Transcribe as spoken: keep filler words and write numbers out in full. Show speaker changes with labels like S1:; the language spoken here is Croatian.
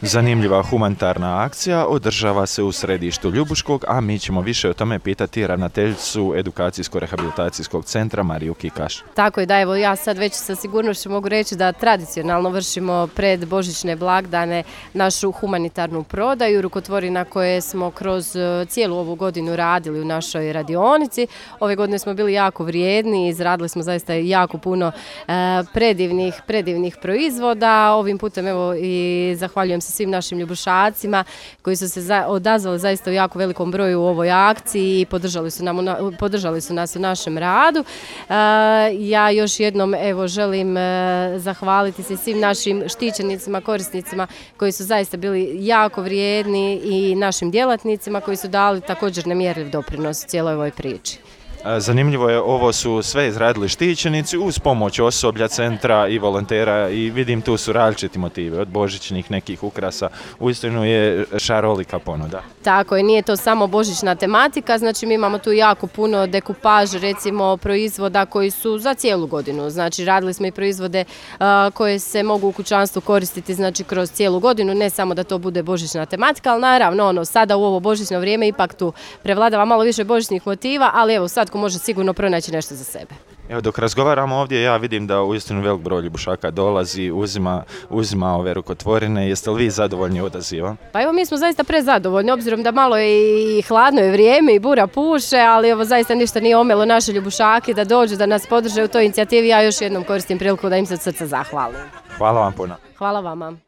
S1: Zanimljiva humanitarna akcija održava se u središtu Ljubuškog, a mi ćemo više o tome pitati ravnateljicu Edukacijsko-rehabilitacijskog centra Mariju Kikaš.
S2: Tako je, da, evo ja sad već sa sigurnošću mogu reći da tradicionalno vršimo pred božićne blagdane našu humanitarnu prodaju rukotvorina koje smo kroz cijelu ovu godinu radili u našoj radionici. Ove godine smo bili jako vrijedni i izradili smo zaista jako puno e, predivnih, predivnih proizvoda. Ovim putem evo i zahvaljujem se svim našim ljubušacima koji su se za, odazvali zaista u jako velikom broju u ovoj akciji i podržali su, nam, podržali su nas u našem radu. E, ja još jednom evo želim e, zahvaliti se svim našim štićenicima, korisnicima koji su zaista bili jako vrijedni i našim djelatnicima koji su dali također nemjerljiv doprinos cijeloj ovoj priči.
S1: Zanimljivo je, ovo su sve izradili štićenici uz pomoć osoblja centra i volontera i vidim tu su različiti motivi, od božićnih nekih ukrasa, uistinu je šarolika ponuda.
S2: Tako je, nije to samo božićna tematika, znači mi imamo tu jako puno dekupaž, recimo proizvoda koji su za cijelu godinu, znači radili smo i proizvode uh, koje se mogu u kućanstvu koristiti znači kroz cijelu godinu, ne samo da to bude božićna tematika, ali naravno ono, sada u ovo božićno vrijeme ipak tu prevladava malo više božićnih motiva, ali evo sad ko može sigurno pronaći nešto za sebe.
S1: Evo, dok razgovaramo ovdje, ja vidim da uistinu velik broj ljubušaka dolazi, uzima, uzima ove rukotvorine. Jeste li vi zadovoljni odazivom?
S2: Pa evo, mi smo zaista prezadovoljni, obzirom da malo je i hladno je vrijeme i bura puše, ali evo zaista ništa nije omelo naše ljubušake da dođu, da nas podrže u toj inicijativi. Ja još jednom koristim priliku da im se od srca zahvalim.
S1: Hvala vam puno.
S2: Hvala vama.